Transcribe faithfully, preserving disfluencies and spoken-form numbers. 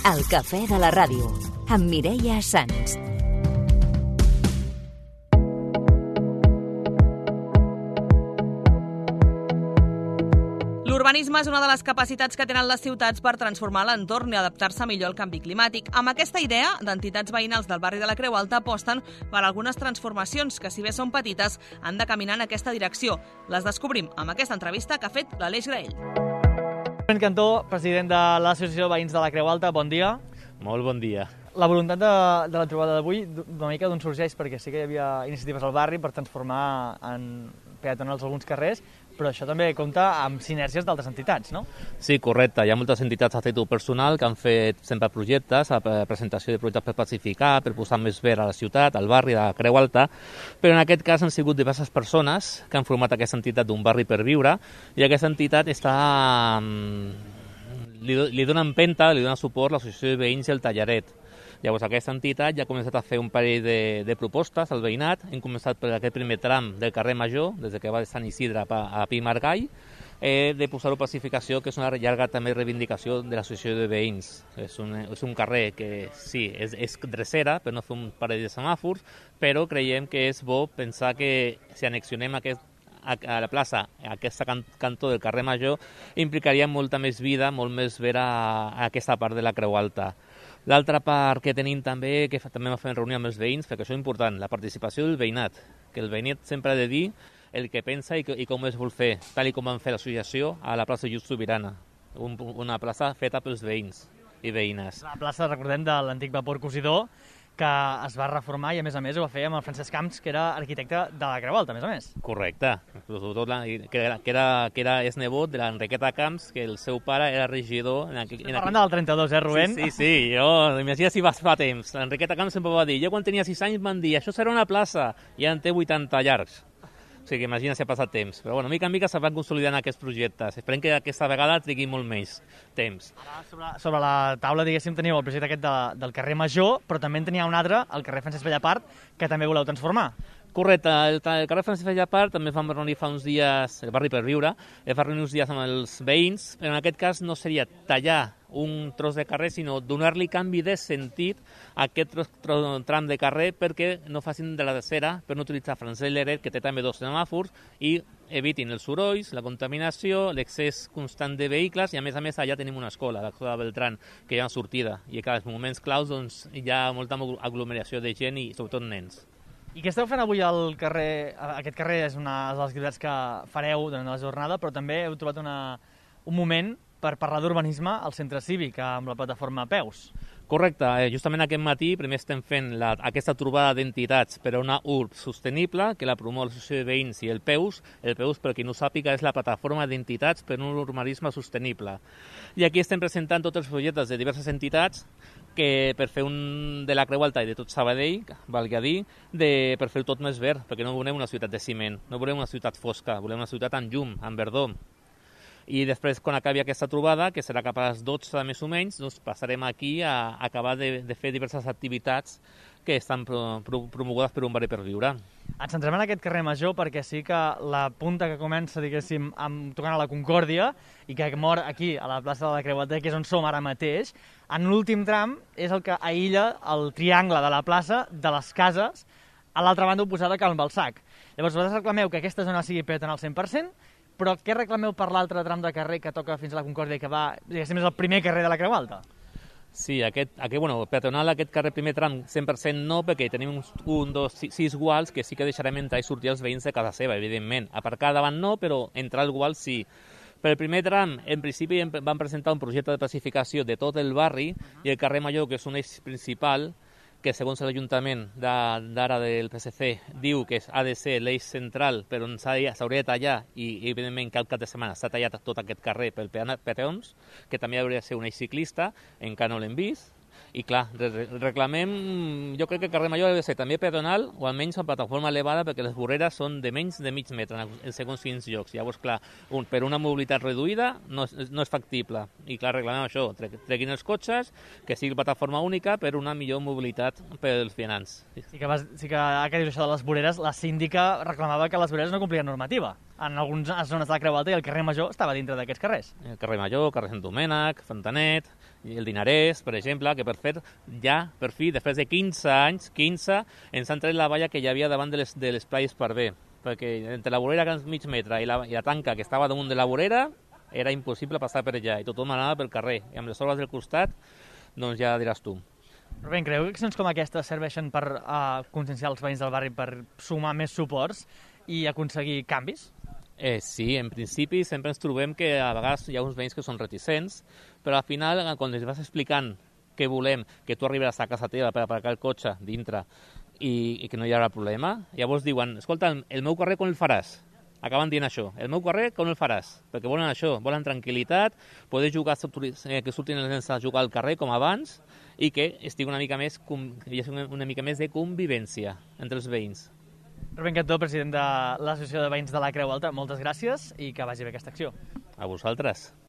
El cafè de la ràdio, amb Mireia Sans. L'urbanisme és una de les capacitats que tenen les ciutats per transformar l'entorn i adaptar-se millor al canvi climàtic. Amb aquesta idea, d'entitats veïnals del barri de la Creu Alta aposten per algunes transformacions que, si bé són petites, han de caminar en aquesta direcció. Les descobrim amb aquesta entrevista que ha fet l'Aleix Graell. Rubén Cantó, president de l'Associació de Veïns de la Creu Alta, bon dia. Molt bon dia. La voluntat de, de la trobada d'avui, una mica d'on sorgeix, perquè sí que hi havia iniciatives al barri per transformar en peatonals alguns carrers, però això també compta amb sinergies d'altres entitats, no? Sí, correcte. Hi ha moltes entitats a títol personal que han fet sempre projectes, a presentació de projectes per pacificar, per posar més verd a la ciutat, al barri de la Creu Alta, però en aquest cas han sigut diverses persones que han format aquesta entitat d'un barri per viure, i aquesta entitat està... li, li dona empenta, li dona suport l'Associació de Veïns i el Tallaret. Llavors, aquesta entitat ja ha començat a fer un parell de, de propostes al veïnat. Hem començat per aquest primer tram del carrer Major, des que va de Sant Isidre a Pi Margall, eh, de posar-ho a pacificació, que és una llarga també reivindicació de l'Associació de Veïns. És un, és un carrer que sí, és, és drecera, per no fer un parell de semàfors, però creiem que és bo pensar que si annexionem aquest a la plaça, a aquest cantó del carrer Major, implicaria molta més vida, molt més vera a aquesta part de la Creu Alta. L'altra part que tenim també, que també vam fer reunió amb els veïns, perquè això és important, la participació del veïnat, que el veïnat sempre ha de dir el que pensa i, i com es vol fer, tal i com vam fer l'associació a la plaça Just Sobirana, un, una plaça feta pels veïns i veïnes. La plaça, recordem, de l'antic vapor cosidor, que es va reformar i, a més a més, ho va fer amb el Francesc Camps, que era arquitecte de la Creu Alta, a més a més. Correcte. Sobretot la, que, era, que, era, que era és nebot de l'Enriqueta Camps, que el seu pare era regidor... En aqu... Estem parlant del trenta-dos, eh, Rubén? Sí, sí, sí. Jo, imagina si va fa temps. L'Enriqueta Camps sempre va dir, jo quan tenia sis anys van dir, això serà una plaça, i ja en té vuitanta llargs. O sigui, imagina si ha passat temps. Però, bueno, mica en mica se van consolidant aquests projectes. Esperem que aquesta vegada trigui molt més temps. Ara, sobre, sobre la taula, diguéssim, teniu el projecte aquest de, del carrer Major, però també en tenia un altre, el carrer Francesc Bellapart, que també voleu transformar. Correcte, el, el carrer Francesc Bellapart també vam reunir fa uns dies, el barri per viure, vam reunir uns dies amb els veïns, però en aquest cas no seria tallar un tros de carrer, sinó donar-li canvi de sentit a aquest tros, tros, tram de carrer perquè no facin de la tercera, per no utilitzar Francesc Lleret, que té també dos semàfors, i evitin els sorolls, la contaminació, l'excés constant de vehicles, i a més a més allà tenim una escola, l'escola Beltrán, que hi ha una sortida, i que als moments claus doncs, hi ha molta aglomeració de gent i sobretot nens. I què esteu fent avui al carrer? Aquest carrer és una de les activitats que fareu durant la jornada, però també heu trobat una, un moment per parlar d'urbanisme al centre cívic amb la plataforma Peus. Correcte, justament aquest matí primer estem fent la, aquesta trobada d'entitats per a una U R B sostenible que la promou l'Associació de Veïns i el Peus. El Peus, per qui no ho sàpiga, és la plataforma d'entitats per a un urbanisme sostenible. I aquí estem presentant tots els projectes de diverses entitats que per fer un de la Creu Alta i de tot Sabadell, valgui a dir, de, per fer tot més verd, perquè no volem una ciutat de ciment, no volem una ciutat fosca, volem una ciutat amb llum, amb verdor. I després, quan acabi aquesta trobada, que serà cap a les dotze més o menys, doncs passarem aquí a acabar de, de fer diverses activitats que estan pro, pro, promogudes per un barri per viure. Ens centrem en aquest carrer Major perquè sí que la punta que comença, diguéssim, amb, tocant a la Concòrdia i que mor aquí, a la plaça de la Creu Alta, que és on som ara mateix, en l'últim tram és el que aïlla el triangle de la plaça de les cases a l'altra banda oposada que al Balsac. Llavors, vosaltres reclameu que aquesta zona sigui peatonal al cent per cent, però què reclameu per l'altre tram de carrer que toca fins a la Concòrdia i que va, diguéssim, és el primer carrer de la Creu Alta? Sí, aquest, aquest bueno, peatonal, aquest carrer primer tram cent per cent no, perquè tenim uns, un, dos, sis, sis guals que sí que deixarem entrar i sortir els veïns de casa seva, evidentment. Aparcar davant no, però entrar al gual sí. Per el primer tram, en principi, vam presentar un projecte de pacificació de tot el barri i el carrer Major, que és un eix principal, que segons l'Ajuntament d'ara del P S C diu que ha de ser l'eix central per on s'hauria de tallar i, evidentment, que al cap de setmana s'ha tallat tot aquest carrer pel peatons, que també hauria de ser un eix ciclista, encara no l'hem vist. I clar, reclamem, jo crec que el carrer Major ha de ser també peatonal o almenys amb plataforma elevada perquè les vorreres són de menys de mig metre en segons quins llocs. Llavors, clar, un, per una mobilitat reduïda no és, no és factible. I clar, reclamem això, treguin els cotxes, que sigui plataforma única per una millor mobilitat pels vianants. Sí que, vas, sí que, que dius això de les voreres, la síndica reclamava que les voreres no complien normativa. en algunes zones de la Creu Alta i el carrer Major estava dintre d'aquests carrers. El carrer Major, carrer Sant Domènec, Fontanet, i el Dinarès, per exemple, que per fer ja, per fi, després de quinze anys, quinze, ens han tret la valla que hi havia davant de les, de l'espai Esparver, perquè entre la vorera, que és mig metre, i la, i la tanca que estava damunt de la vorera, era impossible passar per allà, i tothom anava pel carrer, i amb les obres del costat, doncs ja diràs tu. Rubén, creu que accions com aquestes serveixen per uh, conscienciar els veïns del barri, per sumar més suports i aconseguir canvis? Eh, sí, en principi sempre ens trobem que a vegades hi ha uns veïns que són reticents, però al final, quan els vas explicant què volem, que tu arribaràs a casa teva per aparcar el cotxe dintre i, i que no hi haurà problema, llavors diuen, escolta, el meu carrer com el faràs? Acaben dient això, el meu carrer com el faràs? Perquè volen això, volen tranquil·litat, poder jugar, eh, que surtin els nens a jugar al carrer com abans i que estigui una mica més, hi hagi una mica més de convivència entre els veïns. Rubén Cantó, president de l'Associació de Veïns de la Creu Alta, moltes gràcies i que vagi bé aquesta acció. A vosaltres.